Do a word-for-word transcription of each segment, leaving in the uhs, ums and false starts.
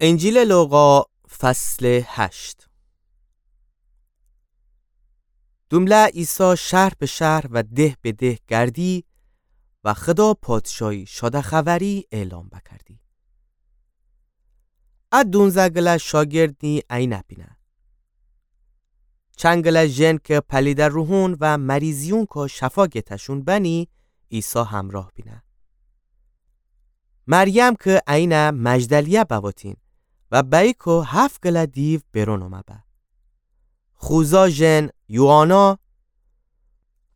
انجیلٚ لوقا، فصلٚ هشت. دومله عیسی شهر به شهر و ده به ده گردی و خدا پادشاهی شاده‌خبری اعلام بکردی. ا دونزه گله شاگردنی اینه بینه. چنگله ژن که پلیده روحون و مریضیونکو شفا گته‌شون بنی، عیسی همراه بینه. مریم که اینه مجدلیه بوتین و بیکو هفت گله دیو برون اومه به. خوزا ژن یوآنا،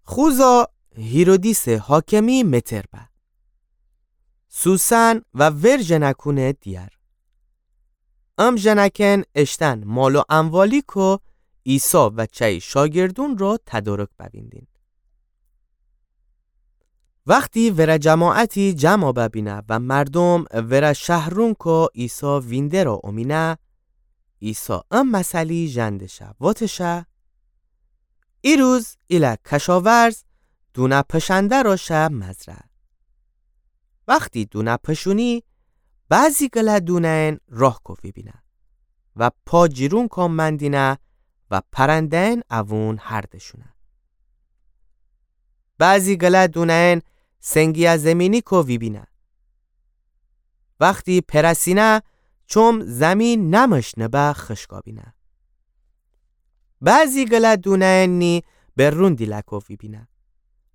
خوزا هیرودیسٚ حاکمی متر به. سوسن و ور ژنکونٚ دیگر. ام ژنکن اشتن مال و اموالیکو عیسی و چای شاگردونٚ رو تدارک بویندین. وختی وره جماعتی جمع ببینه و مردوم وره شهرونکو عیسی وینده رو اومینه، عیسی ام مثلی ژندشه وتشه: ایروز ایله کشاورز دونه پشنده رو شه مزرعه. وختی دونه پشونی، بعضی گله دونه‌ین راهکو ویبینه و پا جیرونکو مندینه و پرنده‌ین اوون هردشونه. بعضی گله دونه‌ین سنگیه زمینیکو ویبینه. وختی پرسینه، چوم زمین نمشنه به خشکا بینه. بعضی گله دونه‌ین نی برون دیلکو ویبینه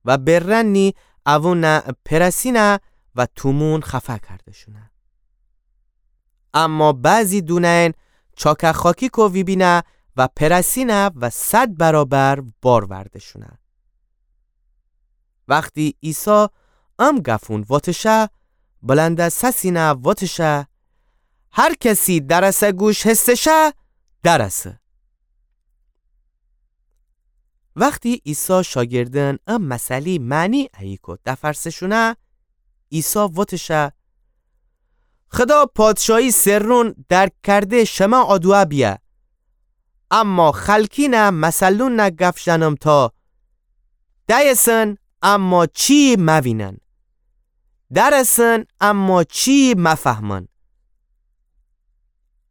و برن نی اوونه پرسینه و تومون خفه کردشونه. اما بعضی دونه‌ین چاکه خاکیکو ویبینه و پرسینه و صد برابر بار وردشونه. وختی عیسی ام گفون وتشه، بلنده سسینه وتشه: هر کسی درسه گوش هستشه، درسه. وختی عیسی شاگردن ام مثلی معنی ایکو دفرسشونه، عیسی وتشه: خدا پادشاهی سرون درک کرده شمه آدوه بیه، اما خلکینه مثلونه گف ژنم تا: دأیسن اما چی موینن، درسن اما چی مفهمن.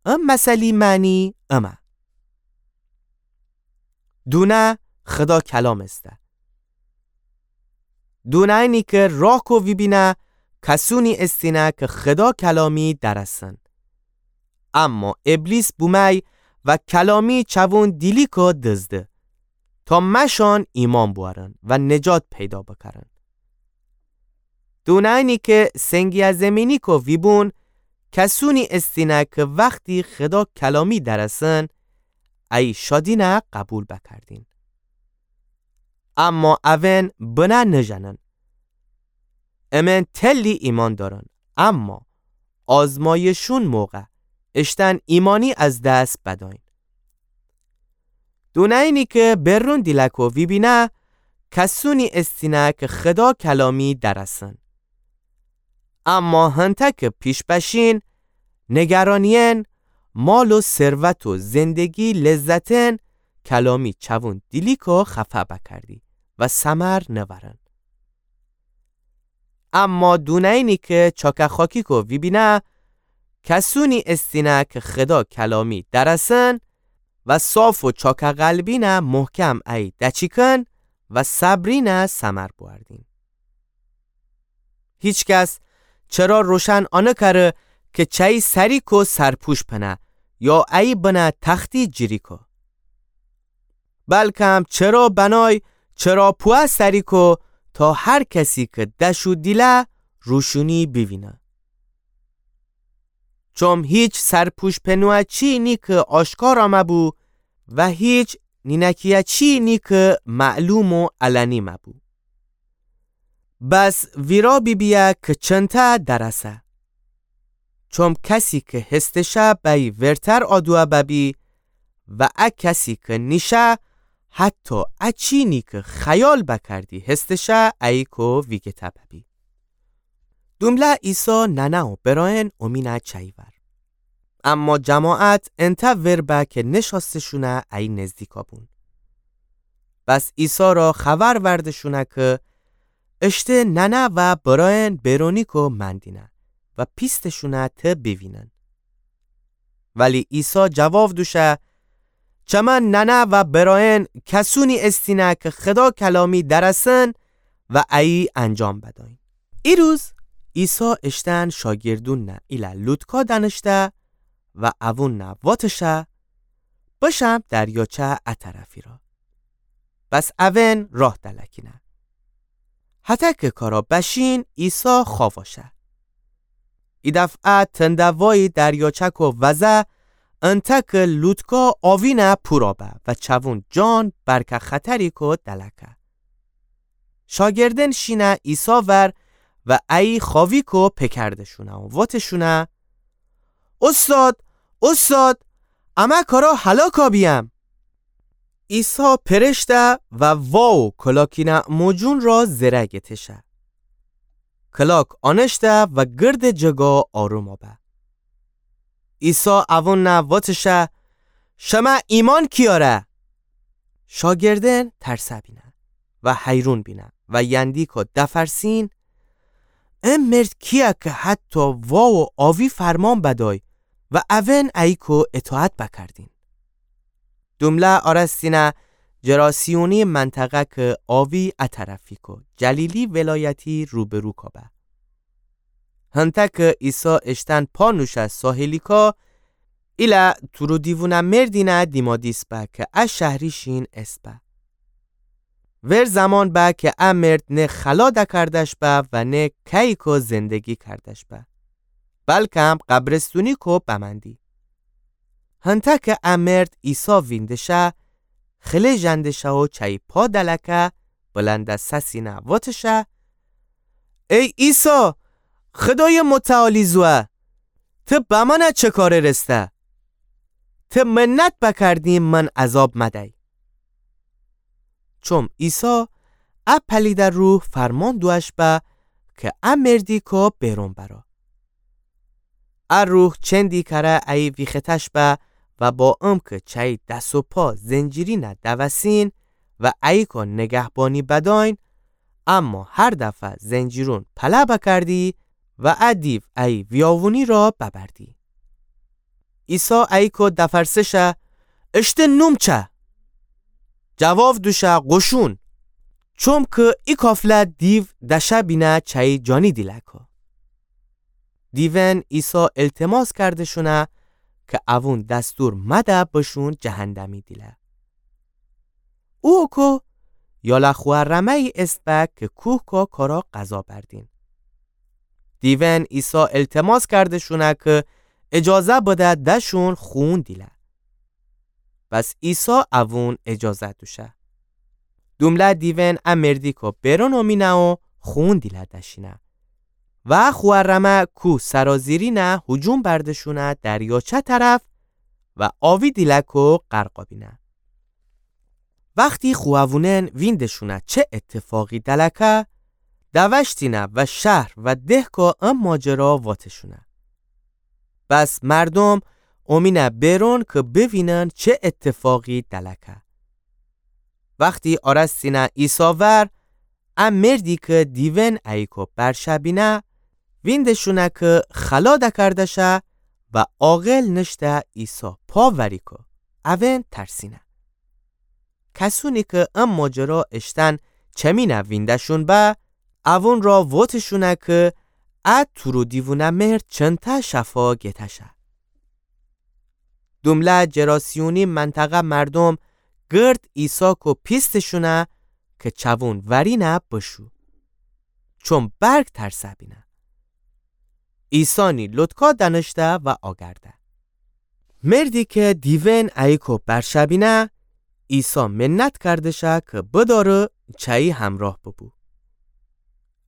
ام مثلی معنی امه. دونه خدا کلام ایسته. دونه‌ینی که راهکو ویبینه، کسونی ایستینه که خدا کلامی درسن. اما ابلیس بومی و کلامی چوون دیلیکو دزده، تا مشان ایمأن بوأرن و نجات پیدا بکرن. دونه‌ینی که سنگیه زمینیکو ویبون، کسونی ایستینه که وختی خدا کلامی درسن، ای شادینه قبول بکردین. اما اوئن بنه نژنن. امن تلی ایمأن دارن، اما آزمایشون موقع اشتن ایمأنی از دس بدأین. دونه‌ینی که برون دیلکو ویبینه، کسونی ایستینه که خدا کلامی درسن. اما هنته که پیش بشین، نگرانیئن، مال و ثروت و زندگی لذتئن، کلامی چوون دیلیکو خفه بکردی و ثمر نورن. اما دونه‌ینی که چاکه خاکیکو ویبینه، کسونی ایستینه که خدا کلامی درسن و صاف و چاکه قلبینه محکم ای دچیکن و صبرینه ثمر بوأردین. هیچکس چرا روشن آنکره که چأیی سریکو سرپوش پنه یا ای بنه تختی جیریکو. بلکم چرا بنای چراپوه سریکو تا هر کسی که دشو دیله روشونی بیوینه. چوم هیچ سرپوش پنوه چی نی که آشکار آمه بو و هیچ نینکیه چی نی که معلوم و علنی مه بو. بس ویرا بیبیه که چنته درسه. چوم کسی که هستشه بأیی ورتر آدوه ببی و ا کسی که نیشه حتی ا چینی که خیال بکردی هستشه ایکو ویگته ببی. دومله عیسی ننه و برأیأن اومینه چأیی ور. اما جماعت انته ور به که نشأسته‌شونه ای نزدیکا بون. بس عیسی را خبر ورده‌شونه که اشته ننه و برأیأن برونیکو مندینه و پیسته‌شونه ته بیوینن. ولی عیسی جواب دوشه: چمه ننه و برأیین کسونی استینه که خدا کلامی درسن و ایه انجام بدأیین. ایروز عیسی اشتن شاگردونٚ ایله لوتکا دأنشته و اوونَ واتشه: بشم دریاچه ا طرفی را. بس اوین راه دلکینه. هتک کارا بشین عیسی خواوا شه. ایدفعه تندوایی دریاچه کو وزه، انتأ که لوتکا آوینه پورا به و چوون جان برکه خطری کو دلکه. شاگردن شینه عیسی ور و ایه خواوی کو پکردشونه و وتشونه: اوستاد، اوستاد، امه کارا هلاکا بیم. عیسی پرشته و واو کلاکینه موجون را زره گتشه. کلاک آنشته و گردٚ جگا آروما به. عیسی اوونَ وتشه: شمه ایمأن کیاره؟ شاگردن ترسه بینه و حیرون بینه و یندی کو دفرسین: ا مرد کیه که حتی واو و آوی فرمان بدأی و اوین ایه کو اطاعت بکردین؟ دومله آرستینه جراسیونی منطقه که آوی ا طرفی کو جلیلی ولایتی روبرو کو به. هنتأ که عیسی اشتن پا نوشه ساحلیکا، ایله تورودیوونٚ مردینه دیمادیس به که ا شهری شین اسبه. ور زمان به که ا مرد نه خلا دکردش به و نه کهیی کو زندگی کردش به، بلکم قبرستونی کو بمندی. هنتأ که ا مرد عیسی ویندشه، خله ژندشه و چأیی پا دلکه، بلندٚ سسینه وتشه: ای عیسی، خدایٚ متعالی زوه، ته بمأنه چه کاره رسته؟ ته منت بکردیم من عذاب مدی. چوم عیسی ا پلیده روح فرمان دوش به که ا مردی کو بیرون برا. ا روح چندی کره ایه ویختش به و با امکه چأیی دس و پا زنجیرینه دوسین و ایه کو نگهبانی بدأین، اما هر دفعه زنجیرون پله بکردی و ا دیو ایه ویاوونی را ببردی. عیسی ایه کو دفرسه شه: اشته نوم چه؟ جواب دوشه: قشون، چومکه ای کافله دیو دشه بینه چأیی جانی دیلکا. دیون عیسی التماس کردشونه که اوون دستور مده بشون جهندمی دیله. او کو یاله خوأ رمه‌یی اسبه که کوه کو کارا غذا بردین. دیون عیسی التماس کردشونه که اجازه بده دشون خون دیله. بس عیسی اوون اجازه دوشه. دومله دیون ا مردی کو بیرون اومینه و خون دیله دشینه. و خوأ رمه کوه سرازیرینه هجوم بردشونه دریاچه طرف و آوی دیلکو غرقا بینه. وختی خوأوونن ویندشونه چه اتفاقی دلکه، دوشتینه و شهر و دهکو ا ماجرا واتشونه. بس مردوم اومینه بیرون که بوینن چه اتفاقی دلکه. وختی آرستینه عیسی ور، ا مردی که دیون ایه کو برشه بینه، ویندشونه که خلا دکرده شه و عاقل نشته عیسی پا وری کو. اوون ترسینه. کسونی که ا ماجرا اشتن چمینه وینده‌شون به، اوون را وتشونه که ا تورودیوونه مرد چنته شفا گتشه. دومله جراسیونی منطقه مردوم گرد عیسی کو پیستشونه که چوون ورینه بشو. چوم برگ ترسه بینه. عیسی نی لوتکا دنشته و آگرده. مردی که دیون ایه کو برشه بینه، عیسی منت کردشه که بداره چأیی همراه ببو.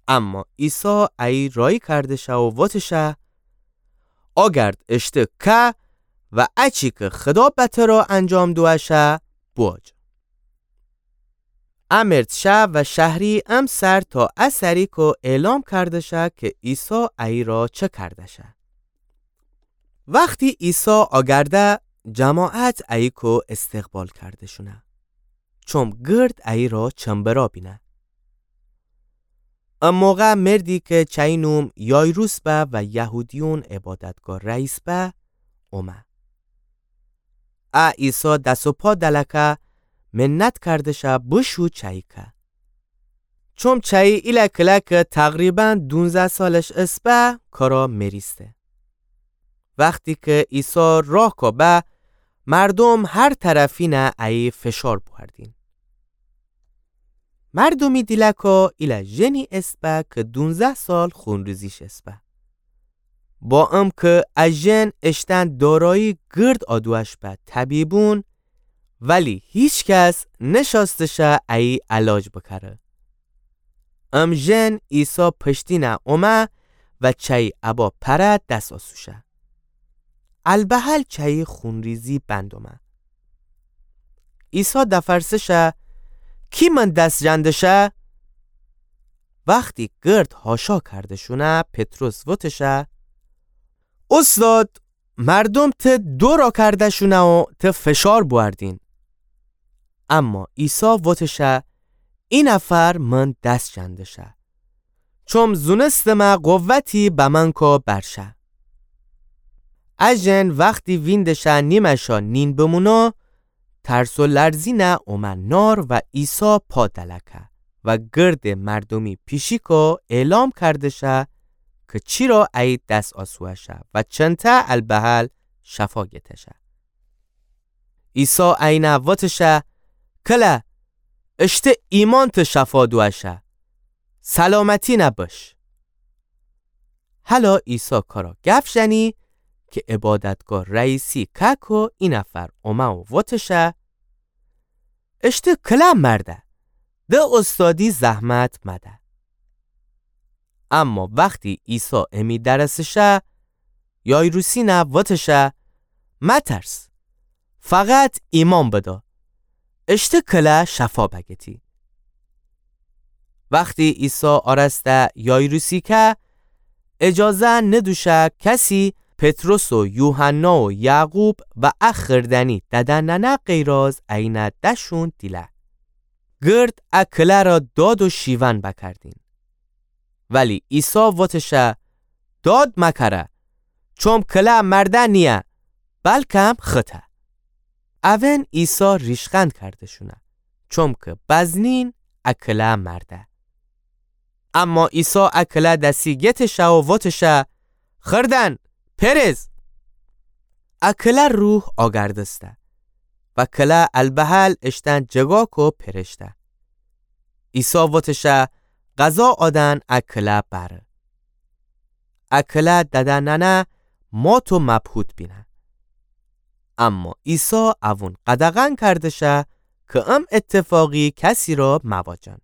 اما عیسی ایه رایی کردشه و وتشه: آگرد اشته که و اچی که خدا به ترا انجام دوشه، بواج. ا مرد شه و شهری ا سر تا ا سری کو اعلام کرده شه که عیسی ایه را چه کرده شه. وختی عیسی آگرده، جماعت ایه کو استقبال کرده شونه، چوم گرد ایه را چنبرا بینه. ا موقع مردی که چأیی نوم یایروس به و یهودیون عبادتگاه رئیس به، اومه. ا عیسی دس و پا دلکه، منت کردشه بوشو چایی که. چوم چایی ایله کله که تقریباً دونزه سالش اسبه، کارا مریسته. وختی که عیسی راه کا به، مردوم هر طرفینه ایی فشار بوردین. مردومی دیلکا ایله ژنی اسبه که دونزه سال خونریزیش اسبه. با ام که ا ژن اشتن دارایی گرد آدوش به طبیبون، ولی هیچ کس نشاستشه ایی علاج بکره. ام ژن عیسی پشتینه اومه و چایی ابا پره دس آسوشه. البهل چایی خونریزی بند اومه. عیسی دفرسشه، کی من دس جندشه؟ وختی گرد هاشا کردشونه، پطرس وتشه، اوستاد، مردوم ته دورا کردشونه و ته فشار بوردین. اما عیسی وتشه، ای نفر من دس جندشه. چوم زونستمه قوتی به من کا برشه. ا ژن وختی ویندشه نیمشا نین بمونو، ترس و لرزینه اومه نار و عیسی پا دلکه و گرد مردومی پیشیکا اعلام کردشه که چیرا ایی دس آسوهشه و چنته البهل شفا گتشه. عیسی اینه وتشه، کله، اشته ایمانته شفا دوشه، سلامتینه بش. هلا عیسی کارا گف ژنی که عبادتگاه رئیسی کاکو ای نفر اومه و وتشه، اشته کله مرده، ده استادی زحمت مده. اما وختی عیسی امی درسشه، یایروسینه وتشه، مترس، فقط ایمان بدا، اشته کله شفا بگتی. وختی عیسی آراسته یایروسی که، اجازه ندوشه کسی پطرس و یوحنا و یعقوب و ا خردنی دده ننه غیراز اینه دشون دیله. گرد ا کله را داد و شیون بکردین. ولی عیسی وتشه، داد مکره، چوم کله مرده نیه، بلکم خته. اون عیسی ریشخند کردشونه، چوم که بزنین ا کله مرده. اما عیسی ا کله دسی گتشه و وتشه، خردن، پرز! ا کله روح آگردسته و کله البهل اشتن جگاکو پرشته. عیسی وتشه، قضا آدن ا کله بره. ا کله دده ننه مات و مبهوت بینه. اما عیسی اون قدغن کردشه که ام اتفاقی کسی را مواجن.